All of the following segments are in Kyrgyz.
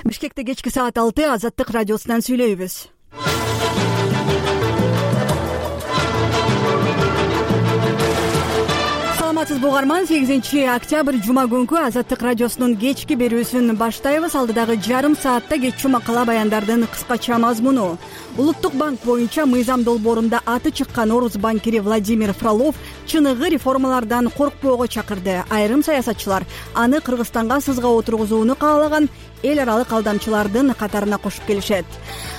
Бишкекте кечки саат 6 Азаттык радиосунан сүйлөйбүз. Саламатсызбы угарман, 8-октябрь жума күнкү Азаттык радиосунун кечки берүүсүн баштайбыз. Алдыдагы жарым саатта кеччү макала баяндардын кыскача мазмуну. Улуттук банк боюнча мыйзам долбоорунда аты чыккан орус банкири Владимир Фролов чыныгы реформалардан коркпоого чакырды. Айрым саясатчылар аны Кыргызстанга сызга отургузууну каалаган эл аралык алдамчылардын катарына кошуп келишет.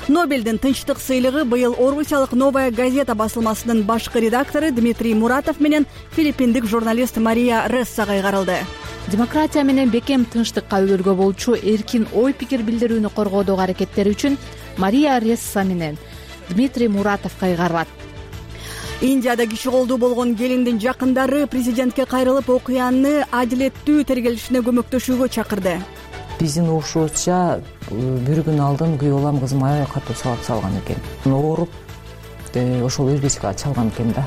Нобелдин тынчтык сыйлыгы быйыл орусиялык Новая газета басылмасынын башкы редактору Дмитрий Муратов менен филиппиндик журналист Мария Рессага кайгарылды. Демократия менен бекем тынчтыкка өбөлгө болчу эркин ой пикир билдирүүнү коргоодогу аракеттери үчүн Мария Ресса менен Дмитрий Муратов кайгарылат. Индияда киши колдуу болгон келиндин жакындары президентке кайрылып окуяны адилеттүү тергелишине көмөктөшүүгө чакырды. Биздин угушубузча бир күн алдын күйөө балам кызым аябай катуу сабап салган экен. Ооруп, ошол өзбечке чалган экен да.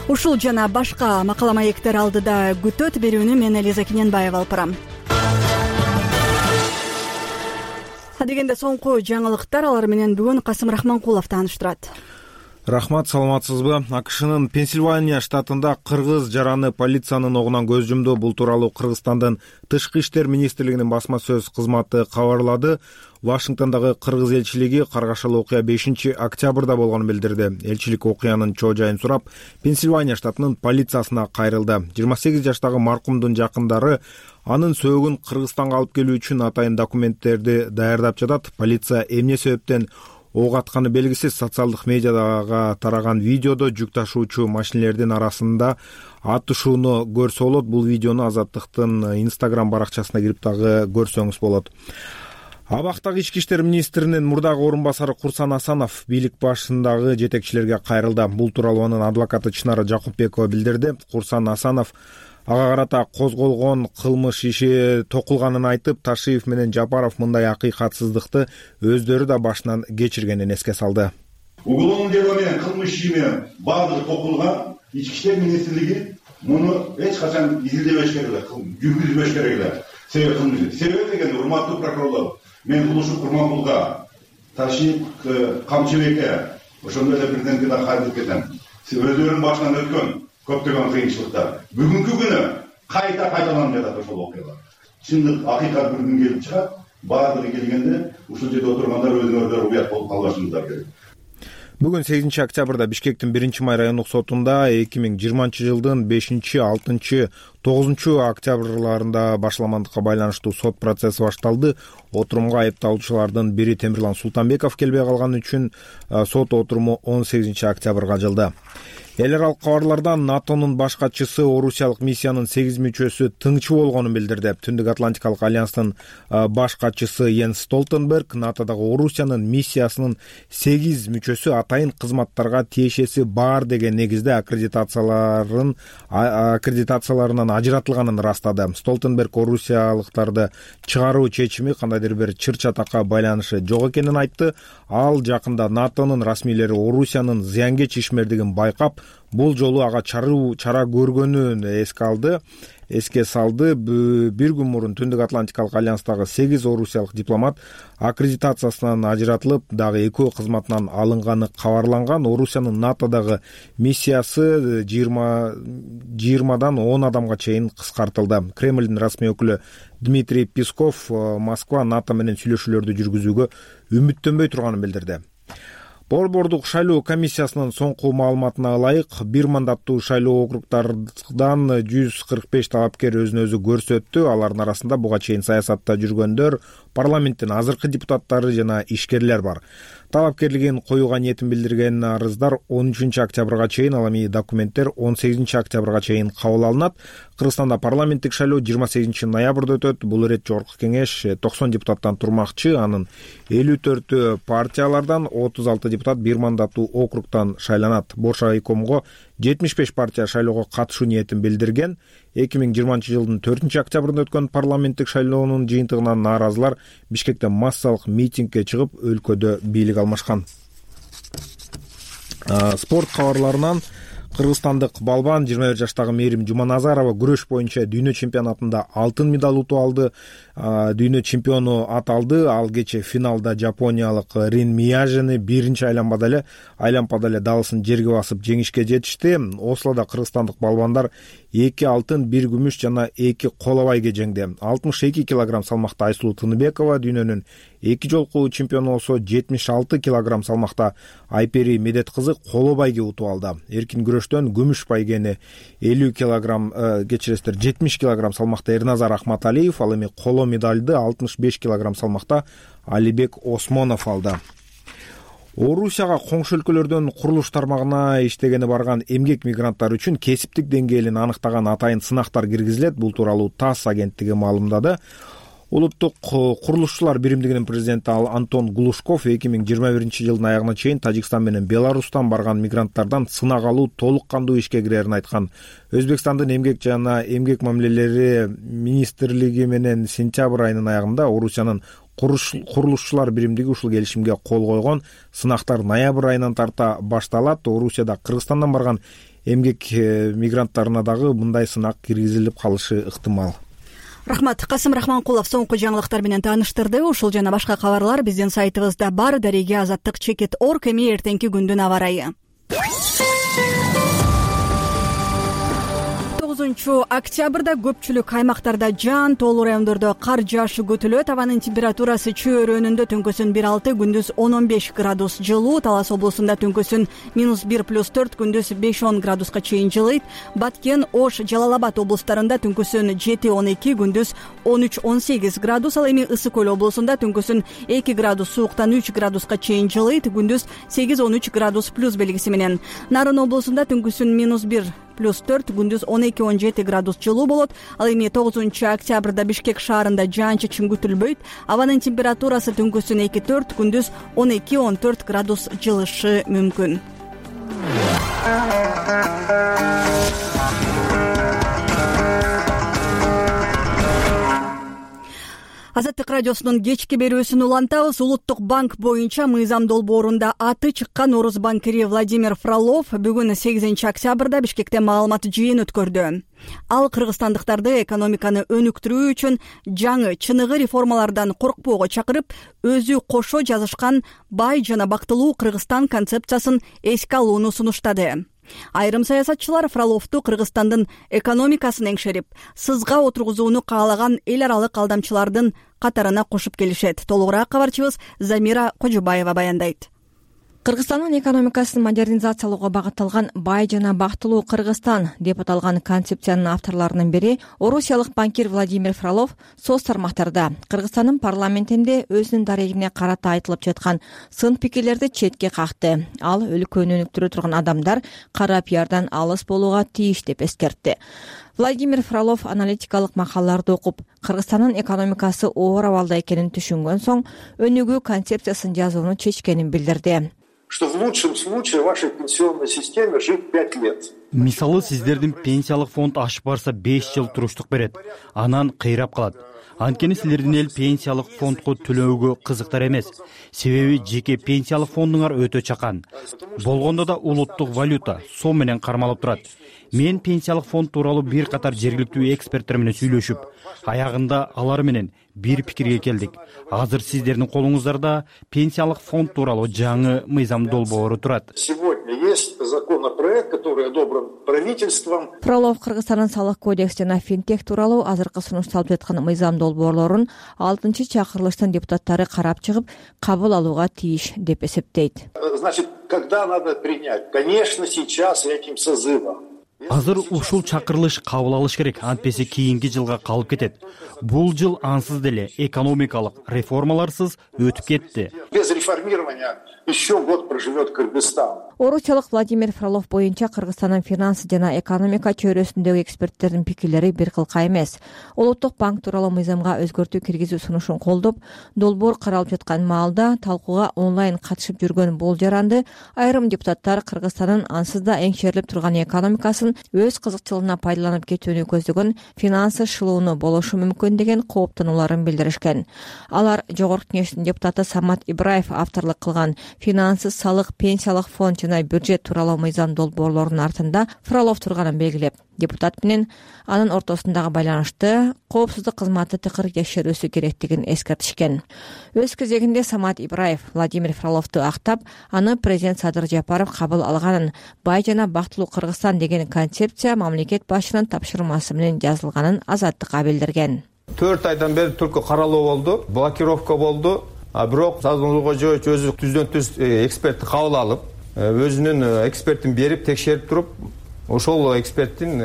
Ушул жана башка макала маектер алдыда күтөт. Берүүнү мен Элиза Кененбаева алып барам. Адегенде соңку жаңылыктар, алар менен бүгүн Касым Рахманкулов тааныштырат. Рахмат, саламатсызбы? АКШнын Пенсильвания штатында кыргыз жараны полициянын огунан көз жумду. Бул тууралуу Кыргызстандын Тышкы иштер министрлигинин басма сөз кызматы кабарлады. Вашингтондогу кыргыз элчилиги каргашалы окуя 5-октябрда болгонун билдирди. Элчилик окуянын чоо жайын сурап, Пенсильвания штатынын полициясына кайрылды. 28 жаштагы маркумдун жакындары анын сөөгүн Кыргызстанга алып келүү үчүн атайын документтерди даярдап жатат. Полиция эмне себептен ок атканы белгисиз. Социалдык медиадага тараган видеодо жүк ташуучу машинелердин арасында атышууну көрсө болот. Бул видеону Азаттыктын Instagram баракчасына кирип дагы көрсөңүз болот. Абактагы ички иштер министринин мурдагы орун басары Курсан Асанов бийлик башындагы жетекчилерге кайрылды. Бул тууралуу анын адвокаты Чынара Жакупбекова билдирди. Курсан Асанов ага карата козголгон кылмыш иши токулганын айтып, Ташиев менен Жапаров мындай акыйкатсыздыкты өздөрү да башынан кечиргенин эске салды. Уголовный дело менен кылмыш иши менен баардыгы токулган. Ички иштер министрлиги муну эч качан изилдебеш керек эле, жүргүзбөш керек эле. Себеби деген, урматтуу прокурорлор, мен Улушук Курманкулга, Ташиев Камчыбекке, ошондой эле президентке да кайрылып кетем. Өздөрүнүн башынан өткөн көптөгөн кыйынчылыктар бүгүнкү күнү кайта кайталанып жатат. Ошол окуялар чындык, акыйкат бир күн келип чыгат. Баардыгы келгенде ушул жерде отургандар өзүнө уят болуп калбашыңыздар керек. Бүгүн 8-октябрда Бишкектин 1-май райондук сотунда 2020 жылдын 5-6 9-октябрларында башламандыкка байланыштуу сот процесси башталды. Отурумга айыпталуучулардын бири Темирлан Султанбеков келбей калганы үчүн сот отуруму 18-октябрга жылды. Эл аралык кабарлардан НАТОнун баш катчысы Орусиялык миссиянын 8 мүчөсү тыңчы болгонун билдирди. Түндүк Атлантикалык альянстын баш катчысы Йенс Столтенберг Натодогу Орусиянын миссиясынын 8 мүчөсү атайын кызматтарга тиешеси бар деген негизде аккредитацияларынан ажыратылганын ырастады. Столтенберг орусиялыктарды чыгаруу чечими кандайдыр бир чыр-чатакка байланышы жок экенин айтты. Ал жакында НАТОнун расмийлери Орусиянын зыянкеч ишмердигин байкап, бул жолу ага чара көргөнүн эске салды. Бир күн мурун Түндүк Атлантикалык альянстагы 8 орусиялык дипломат аккредитациясынан ажыратылып, дагы экөө кызматынан алынганы кабарланган. Орусиянын НАТОдогу миссиясы 20дан 10 адамга чейин кыскартылды. Кремлдин расмий өкүлү Дмитрий Песков Москва НАТО менен сүйлөшүүлөрдү жүргүзүүгө үмүттөнбөй турганын билдирди. Борбордук шайлоо комиссиясынын соңку маалыматына ылайык, бир мандаттуу шайлоо округдардан 145 талапкер өзүн өзү көрсөттү. Алардын арасында буга чейин саясатта жүргөндөр, парламенттин азыркы депутаттары жана ишкерлер бар. Талапкерлигин коюуга ниетин билдирген арыздар 13 октябрга чейин, ал эми документтер 18 октябрга чейин кабыл алынат. Кыргызстанда парламенттик шайлоо 28 ноябрда өтөт. Бул ирет жогорку кеңеш 90 депутаттан турмакчы. Анын 54 партиялардан, 36 депутат бир мандаттуу округтан шайланат. Боршайкомго 75 партия шайлоого катышуу ниетин билдирген. 2020 жылдын 4 октябрында өткөн парламенттик шайлоонун жыйынтыгынан нааразылар Бишкекте массалык митингге чыгып, өлкөдө бийлик алмашкан. Спорт кабарларынан Кыргызстандык балбан 21 жаштагы Мээрим Жуманазарова күрөш боюнча дүйнө чемпионатында алтын медаль утуп алды, дүйнө чемпиону аталды. Ал кече финалда жапониялык Рин Мияжини биринчи айланпада эле далысын жерге басып жеңишке жетишти. Ослода кыргызстандык балбандар 2 алтын, 1 күмүш жана 2 коло байге жеңди. 62 килограмм салмакта Айсулуу Тыныбекова дүйнөнүн 2 жолку чемпиону болсо, 76 килограмм салмакта Айпери Медет кызы коло байге утуп алды. Эркин күрөштөн күмүш байгени 50 килограмм, 70 килограмм салмакта Эрназар Ахматалиев, ал эми коло медальды 65 килограмм салмакта Алибек Осмонов алды. Орусияга коңшу өлкөлөрдөн курулуш тармагына иштегени барган эмгек мигранттар үчүн кесиптик деңгээлин анықтаган атайын сынактар киргизилет. Бул тууралуу ТАСС агенттиги маалымдады. Улуттук курулушчулар биримдигинин президенти Антон Глушков 2021 жылдын аягына чейин Тажикстан менен Беларустан барган мигранттардан сынак алуу толук кандуу ишке кирерин айткан. Өзбекстандын эмгек жана эмгек мамилелери министрлиги менен сентябрь айынын аягында Орусиянын курулушчулар биримдиги ушул келишимге кол койгон. Сынактар ноябрь айынан тарта башталат. Орусияда Кыргызстандан барган эмгек мигранттарына дагы мындай сынак киргизилип калышы ыктымал. Рахмат. Касым Рахманкулов соңку жаңылыктар менен тааныштырды. Ушул жана башка кабарлар биздин сайтыбызда бар. Дареге Азаттык _org. Эми эртеңки күндүн аба ырайы. 9 октябрда көпчүлүк аймактарда жаан, тоолуу райондордо кар жаашы күтүлөт. Абанын температурасы чөйрөнүндө түнкүсүн 1,6, күндүз 10-15 градус жылуу. Талас облусунда түнкүсүн -1+4, күндүз 5-10 градуска чейин жылыйт. Баткен, Ош, Жалал-Абад облустарында түнкүсүн 7-12, күндүз 13-18 градус. Ал эми Ысык Көл облусунда түнкүсүн 2 градус сууктан 3 градуска чейин жылыйт, күндүз 8-13 градус плюс белгиси менен. Нарын облусунда түнкүсүн -1+4, күндүз 12-17 градус жылуу болот. Ал эми 9 октябрда Бишкек шаарында жаан-чачын күтүлбөйт. Абанын температурасы түнкүсүн 2-4, күндүз 12-14 градус жылышы мүмкүн. Азаттык радиосунун кечки берүүсүн улантабыз. Улуттук банк боюнча мыйзам долбоорунда аты чыккан орус банкири Владимир Фролов бүгүн 8 октябрда Бишкекте маалымат жыйын өткөрдү. Ал кыргызстандыктарды экономиканы өнүктүрүү үчүн жаңы чыныгы реформалардан коркпоого чакырып, өзү кошо жазышкан бай жана бактылуу Кыргызстан концепциясын эске алууну сунуштады. Айрым саясатчылар Фроловду Кыргызстандын экономикасын эңшерип, сызга отургузууну каалаган эл аралык алдамчылардын катарына кошуп келишет. Толугураак кабарчыбыз Замира Кожобаева баяндайт. Кыргызстандын экономикасын модернизациялоого багытталган бай жана бактылуу Кыргызстан деп аталган концепциянын авторлорунун бири орусиялык банкир Владимир Фролов соц тармактарда Кыргызстандын парламентинде өзүнүн дарегине карата айтылып жаткан сын пикирлерди четке какты. Ал өлкөнү өнүктүрө турган адамдар кара пиардан алыс болууга тийиш деп эскертти. Владимир Фролов аналитикалык макалаларды окуп, Кыргызстандын экономикасы оор абалда экенин түшүнгөн соң өнүгүү концепциясын жазууну чечкенин билдирди. Что в лучшем случае в вашей пенсионной системе жить 5 лет. Мисалы, сиздердин пенсиялык фонд ашып барса 5 жыл туруштук берет. Анан кыйрап калат. Анткени силердин эл пенсиялык фондго төлөөгө кызыктар эмес. Себеби жеке пенсиялык фондуңар өтө чакан. Болгондо да улуттук валюта сом менен кармалып турат. Мен пенсиялык фонд тууралуу бир катар жергиликтүү эксперттер менен сүйлөшүп, аягында алар менен бир пикирге келдик. Азыр сиздердин колуңуздарда пенсиялык фонд тууралуу жаңы мыйзам долбоору турат. Сегодня есть законопроект, который одобрен правительством. Фролов Кыргызстандын салык кодекс жана финтех тууралуу азыркы сунушталып жаткан мыйзам долбоорлорун 6-чы чакырылыштын депутаттары карап чыгып, кабыл алууга тийиш деп эсептейт. Значит, когда надо принять? Конечно, сейчас этим созывом. Азыр ушул чакырылыш кабыл алыш керек, антпесе кийинки жылга калып кетет. Бул жыл ансыз деле экономикалык реформаларсыз өтүп кетти. Без реформирования еще год проживет Кыргызстан. Орусиялык Владимир Фролов боюнча Кыргызстандын финансы жана экономика чөйрөсүндөгү эксперттердин пикирлери бир кылка эмес. Улуттук банк тууралуу мыйзамга өзгөртүү киргизүү сунушун колдоп, долбоор каралып жаткан маалда талкууга онлайн катышып жүргөн бул жаранды айрым депутаттар Кыргызстандын ансыз да эңшерилип турган экономикасын фроловдун өз кызыкчылыгына пайдаланып кетүүнү көздөгөн финансы шылууну болушу мүмкүн деген кооптонууларын билдиришкен. Алар Жогорку Кеңештин депутаты Самат Ибраев авторлук кылган финансы, салык, пенсиялык фонд жана бюджет тууралуу мыйзам долбоорлорунун артында Фролов турганын белгилеп, депутат менен анын ортосундагы байланышты коопсуздук кызматы тыкыр текшерүүсү керектигин эскертишкен. Өз кезегинде Самат Ибраев Владимир Фроловду актап, аны президент Садыр Жапаров кабыл алганын, бай жана бактылуу Кыргызстан деген концепция мамлекет башчынын тапшырмасы менен жазылганын Азаттыкка билдирген. 4 айдан бери түркү каралуу болду, блокировка болду. Бирок Садыр Кожоевич өзү түздөн түз экспертти кабыл алып, өзүнүн экспертин берип текшерип туруп, ошол эксперттин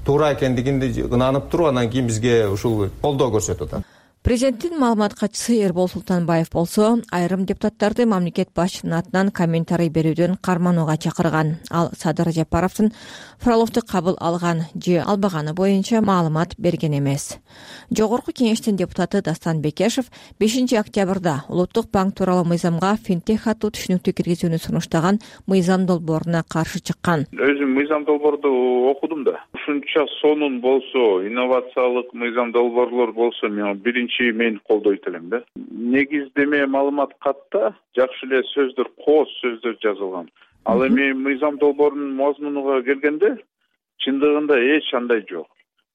туура экендигинди ынанып туруп, анан кийин бизге ушул колдоо көрсөтүп атат. Президенттин маалымат катчысы Эрбол Султанбаев болсо, айрым депутаттарды мамлекет башчынын атынан комментарий берүүдөн карманууга чакырган. Ал Садыр Жапаровдун Фроловду кабыл алган же албаганы боюнча маалымат берген эмес. Жогорку Кеңештин депутаты Дастан Бекешев 5 октябрда Улуттук банк тууралуу мыйзамга финтех аттуу түшүнүктү киргизүүнү сунуштаган мыйзам долбооруна каршы чыккан. Өзүм мыйзам долбоорду окудум да. Ушунча сонун болсо, инновациялык мыйзам долбоорлор болсо, мен колдойт элем да. Негиздеме маалымат катта жакшы эле сөздөр, кооз сөздөр жазылган. Ал эми мыйзам долбоорунун мазмунуга келгенде чындыгында эч андай жок.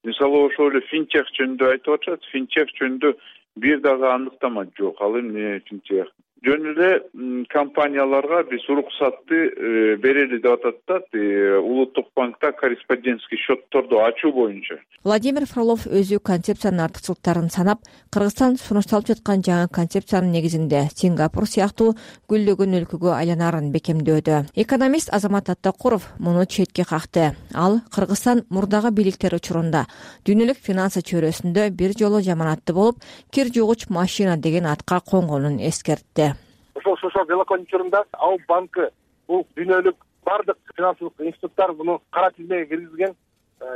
Мисалы ошол эле финтех жөнүндө айтып атышат, финтех жөнүндө бир дагы аныктама жок. Ал эми финтех жөн эле компанияларга биз уруксатты берели деп атат да, Улуттук банкта корреспондентский счетторду ачуу боюнча. Владимир Фролов өзү концепциянын артыкчылыктарын санап, Кыргызстан сунушталып жаткан жаңы концепциянын негизинде Сингапур сыяктуу гүлдөгөн өлкөгө айланарын бекемдөөдө. Экономист Азамат Аттакуров муну четке какты. Ал Кыргызстан мурдагы бийликтер учурунда дүйнөлүк финансы чөйрөсүндө бир жолу жаманатты болуп, кир жугуч машина деген атка конгонун эскертти. Ошол Велокон учурунда Алып банкы бул дүйнөлүк бардык финансылык институттар муну кара тизмеге киргизген,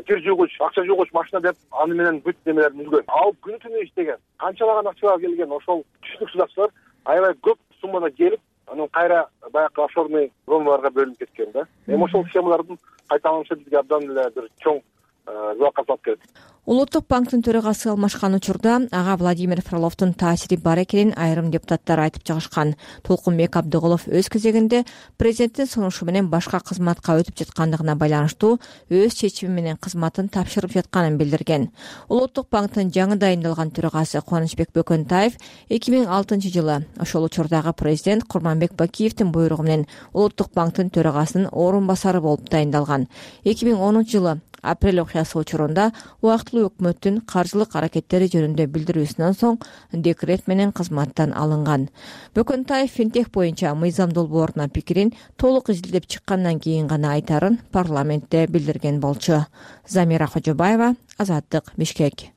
кир жугуч, акча жугуч машина деп аны менен бүт немелерин үлгөн. Алып күнү түнү иштеген, канчалаган акчага келген ошол түштүк судактар аябай көп суммада келип, анан кайра баягы офшорный зоналарга бөлүнүп кеткен да. Эми ошол схемалардын кайталанышы бизге абдан эле бир чоң залалга алып келет. Улуттук банктын төрагасы алмашкан учурда ага Владимир Фроловдун таасири бар экенин айрым депутаттар айтып чыгышкан. Толкунбек Абдыгулов өз кезегинде президенттин сунушу менен башка кызматка өтүп жаткандыгына байланыштуу өз чечими менен кызматын тапшырып жатканын билдирген. Улуттук банктын жаңы дайындалган төрагасы Кубанычбек Бөкөнтаев 2006 жылы ошол учурдагы президент Курманбек Бакиевдин буйругу менен Улуттук банктын төрагасынын орун басары болуп дайындалган. 2010 жылы апрель окуясы учурунда убактылуу өкмөттүн каржылык аракеттери жөнүндө билдирүүсүнөн соң декрет менен кызматтан алынган. Бөкөнтаев финтех боюнча мыйзам долбооруна пикирин толук изилдеп чыккандан кийин гана айтарын парламентте билдирген болчу. Замира Кожобаева, Азаттык, Бишкек.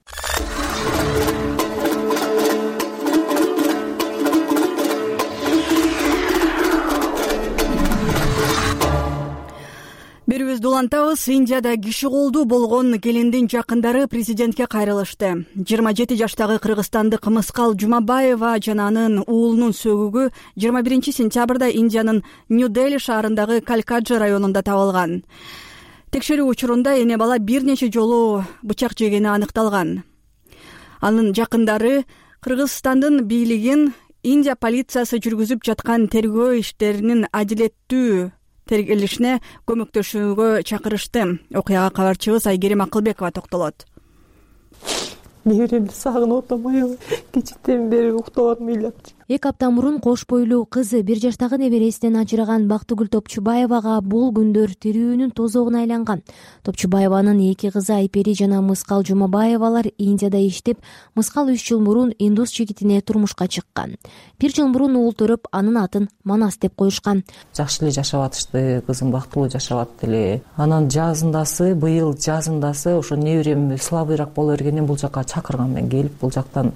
Берүүбүздү улантабыз. Индияда киши колдуу болгон келиндин жакындары президентке кайрылышты. 27 жаштагы кыргызстандык Мыскал Жумабаева жана анын уулунун сөгүгү 21 сентябрда Индиянын Нью-Дели шаарындагы Калькаджа районунда табылган. Текшерүү учурунда эне бала бир нече жолу бычак жегени аныкталган. Анын жакындары Кыргызстандын бийлигин Индия полициясы жүргүзүп жаткан тергөө иштеринин адилеттүү тергелишине көмөктөшүүгө чакырышты. Окуяга кабарчыбыз Айгерим Акылбекова токтолот. Неберемди сагынып атам, аябай кечиктен бери уктап атам ыйлап. 2 апта мурун кош бойлуу кызы 1 жаштагы небересинен ажыраган Бактыгүл Топчубаевага бул күндөр тирүүнүн тозогуна айланган. Топчубаеванын 2 кызы Айпери жана Мыскал Жумабаевалар Индияда иштеп, Мыскал 3 жыл мурун индус жигитине турмушка чыккан. 1 жыл мурун уул төрөп, анын атын Манас деп коюшкан. Жакшы эле жашап атышты, кызым бактылуу жашап атты эле. Анан жазындасы, быйыл жазындасы ошо неберем слабыйраак боло бергенден бул жакка чакырган, мен келип бул жактан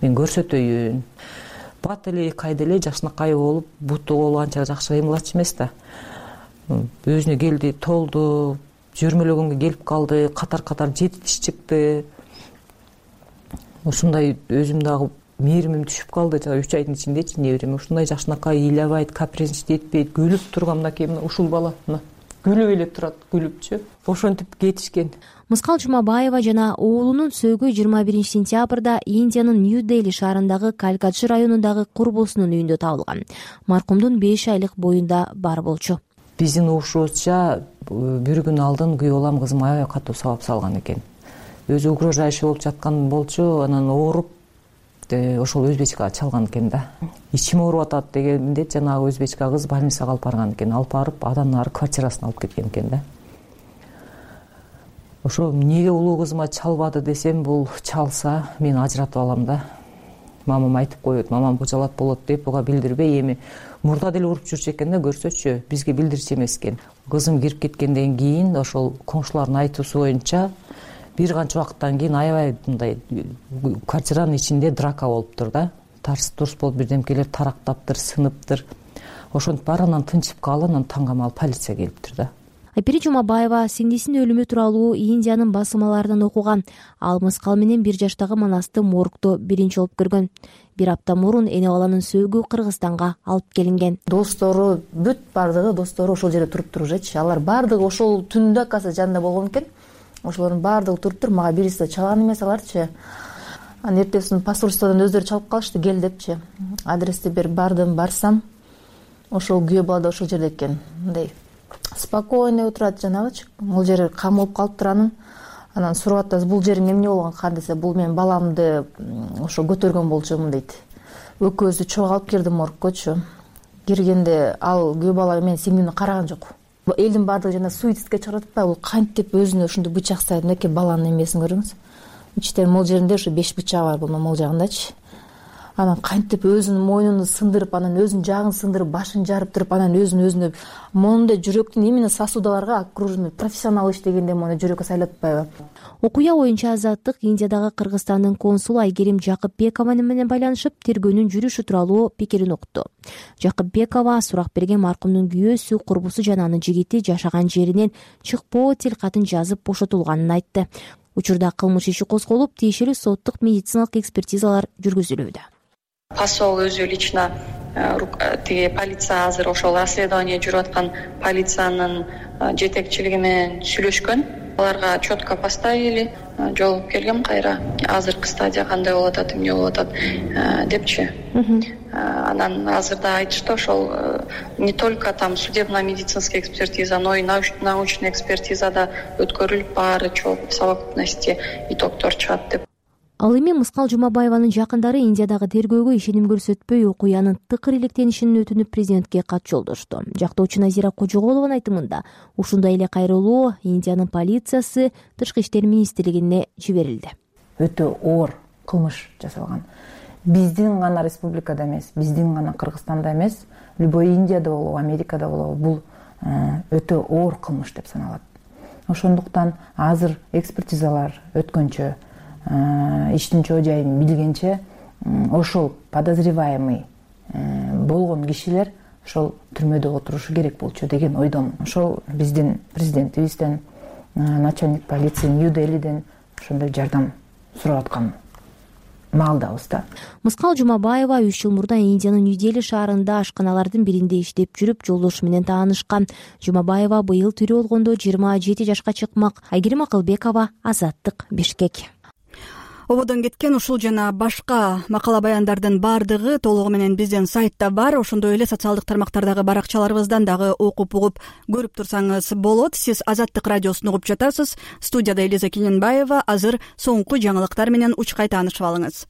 мен көрсөтөйүн. Бат эле кайда эле жакшынакай болуп, буту болуп анча жакшы кыймылчу эмес да. Өзүнө келди, толду, жөрмөлөгөнгө келип калды, катар-катар 7 тиш чыкты. Ушундай өзүм дагы мээримим түшүп калды, 3 айдын ичиндечи неберем ушундай жакшынакай ыйлабайт, капризничать этпейт, күлүп турган мынакей ушул бала, күлүп эле турат, күлүпчү ошентип кетишкен. Мыскал Жумабаева жана уулунун сөөгү 21 сентябрда Индиянын Нью-Дели шаарындагы Калькатчы районундагы курбусунун үйүндө табылган. Маркумдун 5 айлык боюнда бар болчу. Биздин угушубузча бир күн алдын күйөө балам кызым аябай катуу сабап салган экен. Өзү угрожающий болуп жаткан болчу, анан ооруп ошол өзбечкага чалган экен да. Ичим ооруп атат дегенде жанагы өзбечка кыз больницага алып барган экен. Алып барып адан ары квартирасына алып кеткен экен да. Ошо эмнеге улуу кызыма чалбады десем, бул чалса мен ажыратып алам да. Мамам айтып коет, мамам божалат болот деп буга билдирбей, эми мурда деле уруп жүрчү экен да, көрсөчү, бизге билдирчү эмес экен. Кызым кирип кеткенден кийин ошол коңшулардын айтуусу боюнча бир канча убакыттан кийин аябай мындай квартиранын ичинде драка болуптур да. Тарс турс болуп бирдемкелер тарактаптыр, сыныптыр. Ошентип бар, анан тынчып калып, анан таң камал полиция келиптир да. Айпери Жумабаева сиңдисинин өлүмү тууралуу Индиянын басылмаларынан окуган. Ал мыскал менен 1 жаштагы Манасты моргдо биринчи болуп көргөн. Бир апта мурун эне баланын сөөгү Кыргызстанга алып келинген. Достору бүт бардыгы достору ошол жерде туруптур уже. Алар бардыгы ошол түндө каса жанында болгон экен. Ошолордун бардыгы туруптур. Мага бириси да чалган эмес аларчы. Анан эртесин посольстводон өздөрү чалып калышты, кел депчи. Адрести берип бардым, барсам ошол күйөө бала да ошол жерде экен. Мындай спокойно отурат жанагычы. Бул жери камылып калыптыр анан сурап атабыз, бул жериң эмне болгон кан десе, бул мен баламды ошо көтөргөн болчумун дейт. Экөөбүздү чогуу алып кирди моргкочу. Киргенде ал күйөө бала мен сиңдимди караган жок. Элдин баардыгы жана суицидке чыгарып атпайбы, бул кантип өзүнө ушундай бычак сайып, мынакей баланын эмесин көрүңүз. Ичтен мол жеринде ошо 5 бычагы бар бул мол жагындачы. Анан кантип өзүнүн мойнун сындырып, анан өзүнүн жагын сындырып, башын жарып туруп, анан өзүнө мондай жүрөктүн именно сосудаларга окружный профессионал иштегенде мондай жүрөккө сайлатпайбы. Окуя боюнча Азаттык Индиядагы Кыргызстандын консулу Айгерим Жакыпбекова менен байланышып, тергөөнүн жүрүшү тууралуу пикирин укту. Жакыпбекова сурак берген маркумдун күйөөсү, курбусу жана анын жигити жашаган жеринен чыкпоо тилкатын жазып бошотулганын айтты. Учурда кылмыш иши козголуп, тиешелүү соттук медициналык экспертизалар жүргүзүлүүдө. Посол өзү лично полиция азыр ошол расследование жүрүп аткан полициянын жетекчилиги менен сүйлөшкөн. Аларга четко поставили, жолугуп келгем кайра. Азыркы стадия кандай болуп атат, эмне болуп атат депчи. Анан азырда айтышты, ошол не только там судебно-медицинская экспертиза, но и научная экспертиза да өткөрүлүп, баары в совокупности итогдор чыгат деп. Ал эми Мыскал Жумабаеванын жакындары Индиядагы тергөөгө ишеним көрсөтпөй, окуянын тыкыр иликтенишин өтүнүп президентке кат жолдошту. Жактоочу Назира Кожоголованын айтымында, ушундай эле кайрылуу Индиянын полициясы Тышкы иштер министрлигине жиберилди. Өтө оор кылмыш жасалган. Биздин гана республикада эмес, биздин гана Кыргызстанда эмес, любой Индияда болобу, Америкада болобу, бул өтө оор кылмыш деп саналат. Ошондуктан азыр экспертизалар өткөнчө, иштин чоо жайын билгенче, ошол подозреваемый болгон кишилер ошол түрмөдө отурушу керек болчу деген ойдомун. Ошол биздин президентибизден, начальник полиции Нью-Делиден ошондой жардам сурап аткан маалдабыз да. Мыскал Жумабаева 3 жыл мурда Индиянын Нью-Дели шаарында ашканалардын биринде иштеп жүрүп, жолдошу менен таанышкан. Жумабаева быйыл тирүү болгондо 27 жашка чыкмак. Айгерим Акылбекова, Азаттык, Бишкек. Ободон кеткен ушул жана башка макала баяндардын баардыгы толугу менен биздин сайтта бар. Ошондой эле социалдык тармактардагы баракчаларыбыздан дагы окуп угуп көрүп турсаңыз болот. Сиз Азаттык радиосун угуп жатасыз. Студияда Элиза Кененбаева. Азыр соңку жаңылыктар менен учкай таанышып алыңыз.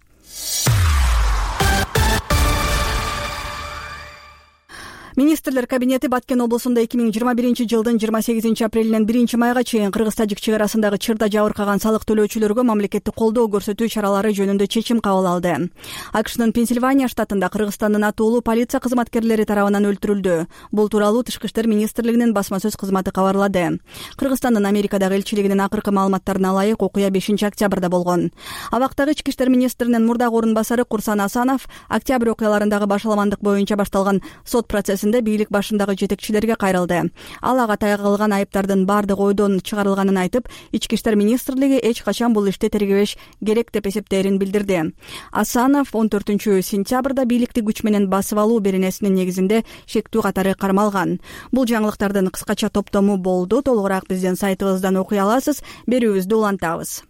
Министрлер кабинети Баткен облусунда 2021 жылдын 28 апрелинен 1 майга чейин Кыргыз-Тажик чек арасындагы чырда жабыркаган салык төлөөчүлөргө мамлекеттик колдоо көрсөтүү чаралары жөнүндө чечим кабыл алды. АКШнын Пенсильвания штатында Кыргызстандын атуулуу полиция кызматкерлери тарабынан өлтүрүлдү. Бул тууралуу Тышкы иштер министрлигинин басма сөз кызматы кабарлады. Кыргызстандын Америкадагы элчилигинин акыркы маалыматтарына ылайык окуя 5 октябрда болгон. Абактагы ички иштер министринин мурдагы орун басары Курсан Асанов октябрь окуяларындагы башаламандык боюнча башталган сот процессин милдетинде бийлик башындагы жетекчилерге кайрылды. Ал ага тагылган айыптардын баардыгы ойдон чыгарылганын айтып, Ички иштер министрлиги эч качан бул ишти тергебеш керек деп эсептээрин билдирди. Асанов 14-сентябрда бийликти күч менен басып алуу беренесинин негизинде шектүү катары кармалган. Бул жаңылыктардын кыскача топтому болду. Толугураак биздин сайтыбыздан окуй аласыз. Берүүбүздү улантабыз.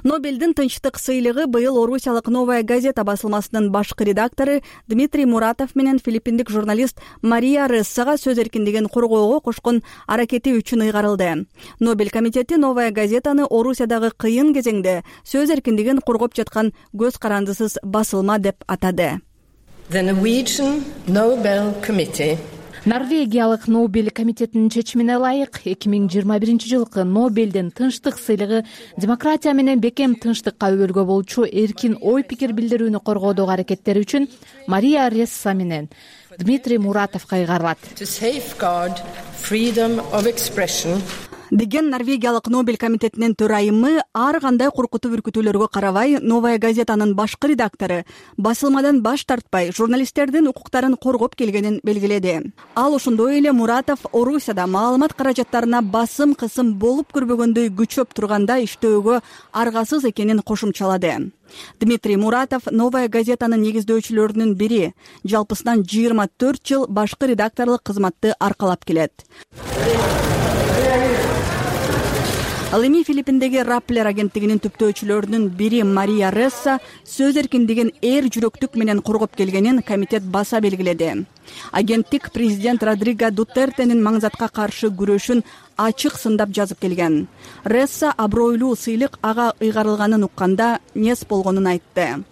Нобелдин тынчтык сыйлыгы быйыл орусиялык «Новая газета» басылмасынын башкы редактору Дмитрий Муратов менен филиппиндик журналист Мария Рессага сөз эркиндигин коргоого кошкон аракети үчүн ыйгарылды. Нобель комитети «Новая газетаны» Орусиядагы кыйын кезеңде сөз эркиндигин коргоп жаткан көз карандысыз басылма деп атады. The Norwegian Nobel Committee Норвегиялык Нобель комитетинин чечимине ылайык 2021 жылкы Нобелдин тынчтык сыйлыгы демократия менен бекем тынчтыкка өбөлгө болчу эркин ой пикир билдирүүнү коргоодогу аракеттери үчүн Мария Ресса менен Дмитрий Муратовго ыйгарылат. Деген Норвегиялык Нобель комитетинин төрайымы ар кандай коркутуу үркүтүүлөргө карабай «Новая газетанын» башкы редактору басылмадан баш тартпай журналисттердин укуктарын коргоп келгенин белгиледи. Ал ошондой эле Муратов Орусияда маалымат каражаттарына басым кысым болуп көрбөгөндөй күчөп турганда иштөөгө аргасыз экенин кошумчалады. Дмитрий Муратов «Новая газетанын» негиздөөчүлөрүнүн бири, жалпысынан 24 жыл башкы редакторлук кызматты аркалап келет. Ал эми Филиппиндеги Rappler агенттигинин түптөөчүлөрүнүн бири Мария Ресса сөз эркиндигин эр жүрөктүк менен коргоп келгенин комитет баса белгиледи. Агенттик президент Родриго Дутертенин маңзатка каршы күрөшүн ачык сындап жазып келген. Ресса абройлуу сыйлык ага ыйгарылганын укканда нес болгонун айтты.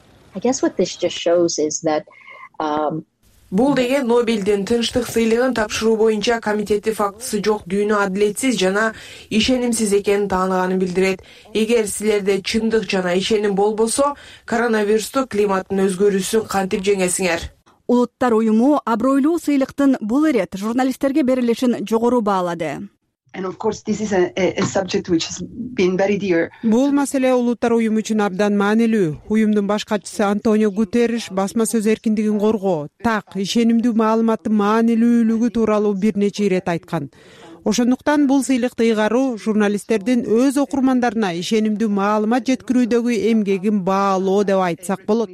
Бул деген Нобелдин тынчтык сыйлыгын тапшыруу боюнча комитети фактысы жок дүйнө адилетсиз жана ишенимсиз экенин тааныганын билдирет. Эгер силерде чындык жана ишеним болбосо, коронавирусту, климаттын өзгөрүүсүн кантип жеңесиңер? Улуттар уюму абройлуу сыйлыктын бул ирет журналисттерге берилишин жогору баалады. Бул маселе улуттар уюму үчүн абдан маанилүү. Уюмдун баш катчысы Антонио Гутерриш басма сөз эркиндигин коргоо, так, ишенимдүү маалыматтын маанилүүлүгү тууралуу бир нече ирет айткан. Ошондуктан бул сыйлыкты ыйгаруу журналисттердин өз окурмандарына ишенимдүү маалымат жеткирүүдөгү эмгегин баалоо деп айтсак болот,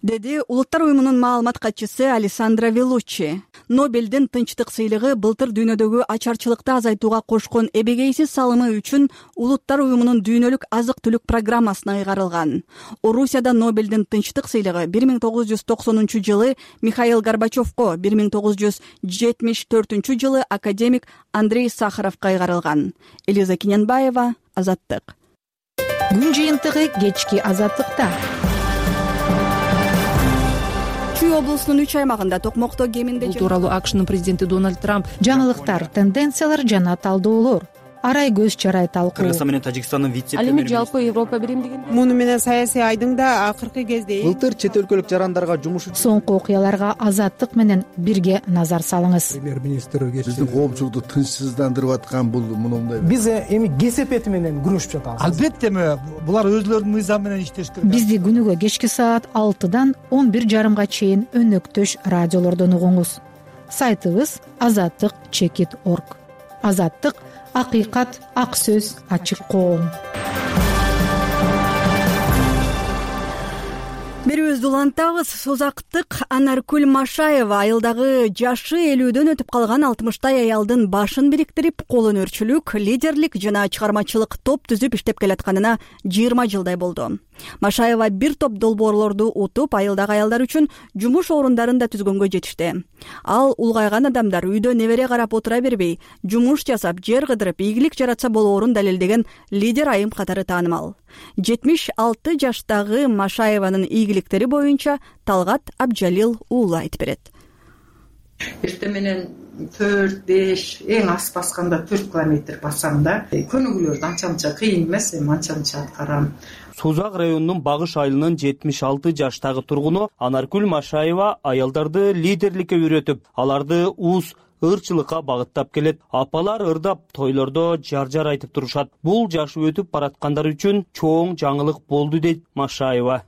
деди улуттар уюмунун маалымат катчысы Алессандро Велуччи. Нобелдин тынчтык сыйлыгы былтыр дүйнөдөгү ачарчылыкты азайтууга кошкон эбегейсиз салымы үчүн улуттар уюмунун дүйнөлүк азык-түлүк программасына ыйгарылган. Орусияда Нобелдин тынчтык сыйлыгы 1990-жылы Михаил Горбачевко, 1974 жылы академик Андрей Сахаровго ыйгарылган. Элиза Кененбаева, Азаттык. Күн жыйынтыгы кечки Азаттыкта. Чүй облусунун 3 аймагында токмокто кеминде бул тууралуу АКШнын президенти Дональд Трамп жаңылыктар, тенденциялар жана талдоолор арай көз чарай талкуу. Кыргызстан менен Тажикстандын Ал эми жалпы Европа биримдигинде муну менен саясий айдыңда акыркы кезде былтыр чет өлкөлүк жарандарга жумуш соңку окуяларга Азаттык менен бирге назар салыңыз. Премьер-министр биздин коомчулукту тынчсыздандырып аткан бул мындай. Биз эми кесепети менен күрөшүп жатабыз. Албетте булар өзлөрүнүн мыйзамы менен иштеш керек. Бизди күнүгө кечки саат 6-дан 11:30 чейин өнөктөш радиолордон угуңуз. Сайтыбыз azattik.org. Азаттык — акыйкат, ак сөз, ачык коом. Берүүбүздү улантабыз. Созактык Анаркүл Машаева айылдагы жашы 50дөн өтүп калган 60-тай аялдын башын бириктирип, кол өнөрчүлүк, лидерлик жана чыгармачылык топ түзүп иштеп келатканына 20 жылдай болду. Машаева бир топ долбоорлорду утуп, айылдагы аялдар үчүн жумуш орундарын да түзгөнгө жетишти. Ал улгайган адамдар үйдө небере карап отура бербей, жумуш жасап, жер кыдырып, ийгилик жаратса болоорун далилдеген лидер айым катары таанымал. 76 жаштагы Машаеванын ийгиликтери боюнча Талгат Абжалил уулу айтып берет. Эртең менен 4-5, эң аз басканда 4 километр басам да. Көнүгүүлөрдү анча-мынча кыйын эмес, анча-мынча аткарам. Созак районунун Багыш айылынын 76 жаштагы тургуну Анаркүл Машаева аялдарды лидерликке үйрөтүп, аларды уус ырчылыкка багыттап келет. Апалар ырдап, тойлордо жар-жар айтып турушат. Бул жашы өтүп бараткандар үчүн чоң жаңылык болду дейт Машаева.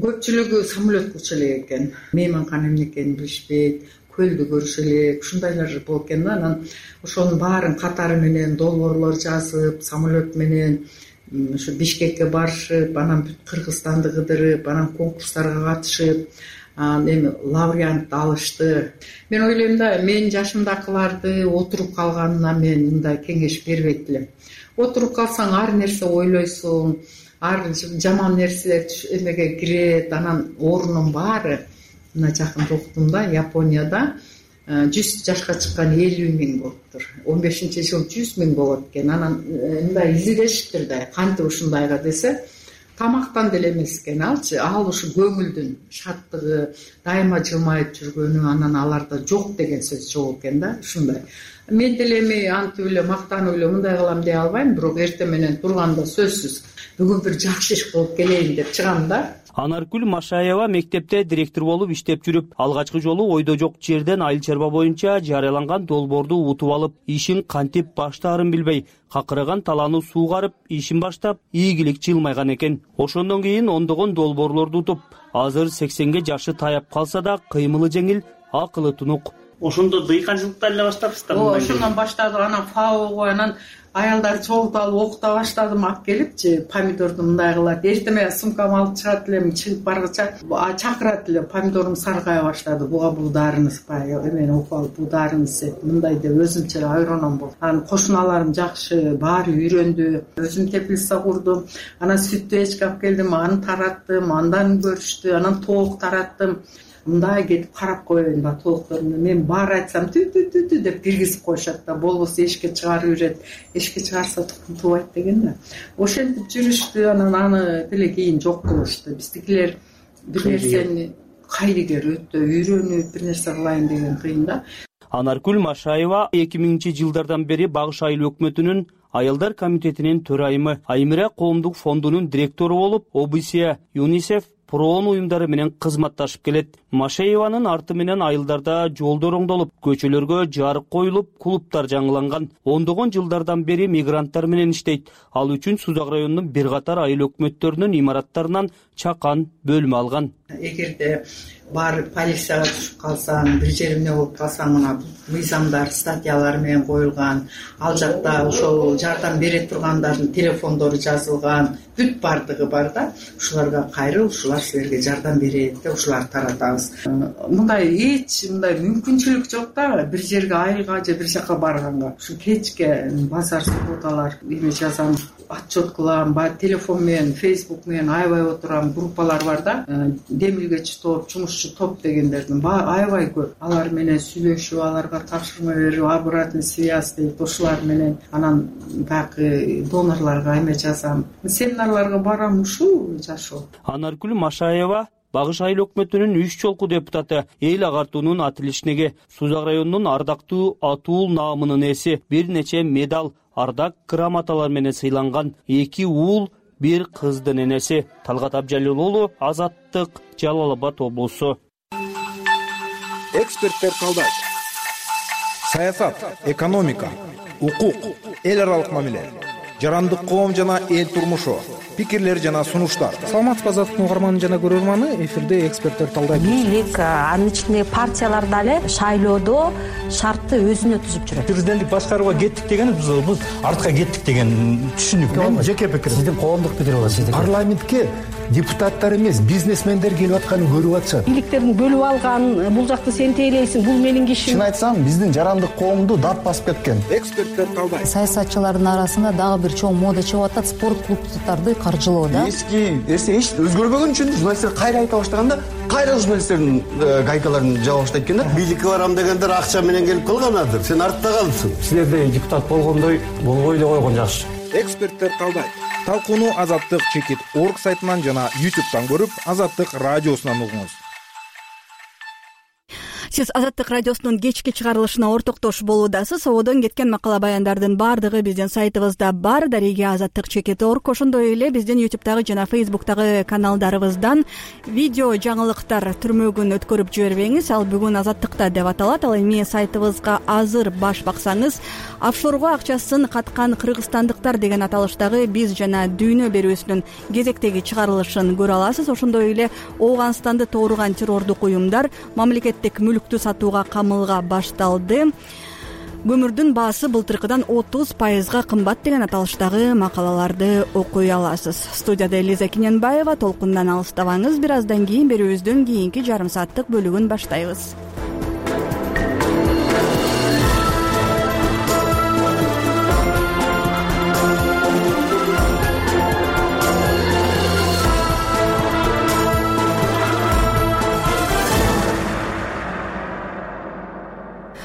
көпчүлүгү самолет уча элек экен, мейманкана эмне экенин билишпейт, көлдү көрүшө элек, ушундайлар болуп экен да. Анан ошонун баарын катары менен долбоорлор жазып, самолет менен ушу Бишкекке барышып, анан бүт Кыргызстанды кыдырып, анан конкурстарга катышып, эми лауреат алышты. Мен ойлойм да, менин жашымдакыларды отуруп калганына мен мындай кеңеш бербейт элем. Отуруп калсаң ар нерсе ойлойсуң, ар жаман нерселер эмеге кирет, анан орунун баары. Мына жакында уктум да, Японияда 100 жашка чыккан 50 миң болуптур. 15-жыл 100 миң болот экен. Анан мындай изилешиптир да, кантип ушундайга десе, тамактан деле эмес экен алчы. Ал ушу көңүлдүн шаттыгы, дайыма жылмайып жүргөнү, анан аларда жок деген сөз жок экен да, ушундай. Мен деле эми антип эле мактанып эле мындай кылам дей албайм, бирок эртең менен турганда сөзсүз бүгүн бир жакшы иш кылып келейин деп чыгам да. Анаркүл Машаева мектепте директор болуп иштеп жүрүп, алгачкы жолу ойдо жок жерден айыл чарба боюнча жарыяланган долбоорду утуп алып, ишин кантип баштаарын билбей, какыраган талааны суугарып, ишин баштап, ийгилик жылмайган экен. Ошондон кийин ондогон долбоорлорду утуп, азыр 80ге жашы таяп калса да, кыймылы жеңил, акылы тунук. Ошондо дыйканчылыктан эле баштапсыздар? Ошондон баштадык, анан фаого, анан аялдар чогултуп алып окута баштадым, алып келипчи, помидорду мындай кылат. Эртеме сумкамды алып чыгат элем, чыгып баргыча чакырат элем, помидорум саргая баштады. Буга бул дарыны сыпай, эмени окуп алып, бул дарыны сеп, мындай деп өзүмчө ойроном болду. Анан кошуналарым жакшы, баары үйрөндү. Өзүм теплица курдум. Анан сүттү эчке алып келдим, аны тараттым, андан көрүштү, анан тоок тараттым. Мындай кетип карап коеюн да тоокторуна. Мен баары айтсам тү деп киргизип коюшат да, болбосо эшикке чыгарып берет. Эшикке чыгарса тукум тубайт деген да. Ошентип жүрүштү, анан аны деле кийин жок кылышты. Биздикилер бир нерсени кайрыгер өтө үйрөнүп, бир нерсе кылайын деген кыйын да. Анаркүл Машаева 2000-жылдардан бери Багыш айыл өкмөтүнүн Аялдар комитетинин төрайымы, Аймира коомдук фондунун директору болуп, ОБСЕ, ЮНИСЕФ, проон уюмдары менен кызматташып келет. Машаеванын арты менен айылдарда жолдор оңдолуп, көчөлөргө жарык коюлуп, клубтар жаңыланган. Ондогон жылдардан бери мигранттар менен иштейт. Ал үчүн Сузак районунун бир катар айыл өкмөттөрүнүн имараттарынан чакан бөлмө алган. Эгерде барып полицияга түшүп калсаң, бир жерине болуп калсаң, мына мыйзамдар, статьялар менен коюлган. Ал жакта ошол жардам бере тургандардын телефондору жазылган, бүт бардыгы бар да. Ушуларга кайрыл, ушулар силерге жардам берет деп ушуларды таратабыз. Мындай эч мындай мүмкүнчүлүк жок да, бир жерге айылга же бир жака барганга. Ушу кечке базар субботалар эме жазам, отчет кылам, телефон менен, Facebook менен аябай отурам, группалар бар да. Демилгечи топ, жумушчу топ дегендердин аябай көп. Алар менен сүйлөшүп, аларга тапшырма берип, обратный связь дейт, ошолар менен анан дагы донорлорго эме жазам. Семинарларга барам, ушул жашоо. Анаркүл Машаева Багыш айыл өкмөтүнүн 3 жолку депутаты, эл агартуунун атилишнеги, Сузак районунун ардактуу атуул наамынын ээси, бир нече медаль, ардак грамоталар менен сыйланган, 2 уул, 1 кыздын энеси. Талгат Абжалил уулу, Азаттык, Жалал Абад облусу. Эксперттер талдайт. Саясат, экономика, укук, эл аралык мамиле, жарандык коом жана эл турмушу, пикирлер жана сунуштар. Саламатсызбы Азаттыктын угарманы жана көрөрманы, эфирде эксперттер талдайт. Бийлик, анын ичинде партиялар дагы шайлоодо шартты өзүнө түзүп жүрөт. Президенттик башкарууга кеттик деген биз артка кеттик деген түшүнүк. Мен жеке пикирим. Сиздин коомдук пикир болот, сиздин. Парламентке депутаттар эмес, бизнесмендер келип атканын көрүп атышат. Бийликтерин бөлүп алган, бул жакты сен тейлейсиң, бул менин кишим. Чын айтсам, биздин жарандык коомду дат басып кеткен. Эксперттер талдайт. Саясатчылардын арасында дагы бир чоң мода чыгып атат, спорт клубдарды каржылоо да. Эски эч өзгөрбөгөн үчүн журналисттер кайра айта баштаганда, кайра журналисттердин гайкаларын жаба баштайт экен да. Бийликке барам дегендер акча менен келип калганадыр. Сен артта калыпсың. Силердей депутат болгондой болбой эле койгон жакшы. Эксперттер талдайт. Талкууну Азаттык чекит орг сайтынан жана YouTube'дан көрүп, Азаттык радиосунан угуңуз. сиз Азаттык радиосунун кечки чыгарылышына ортоктош болуудасыз. Ободон кеткен макала баяндардын баардыгы биздин сайтыбызда бар. Дарига Азаттык _org. Ошондой эле биздин YouTube'дагы жана Facebook'тагы каналдарыбыздан видео жаңылыктар түрмөгүн өткөрүп жибербеңиз. Ал бүгүн Азаттыкта деп аталат. Ал эми сайтыбызга азыр баш баксаңыз, офшорго акчасын каткан кыргызстандыктар деген аталыштагы биз жана дүйнө берүүсүнүн кезектеги чыгарылышын көрө аласыз. Ошондой эле Ооганстанды тооруган террордук уюмдар мамлекеттик мүлктү сатууга камылга башталды. Көмүрдүн баасы былтыркыдан 30% кымбат деген аталыштагы макалаларды окуй аласыз. Студияда Элиза Киненбаева. Толкундан алыстабаңыз. Бир аздан кийин берүүбүздүн кийинки жарым сааттык бөлүгүн баштайбыз.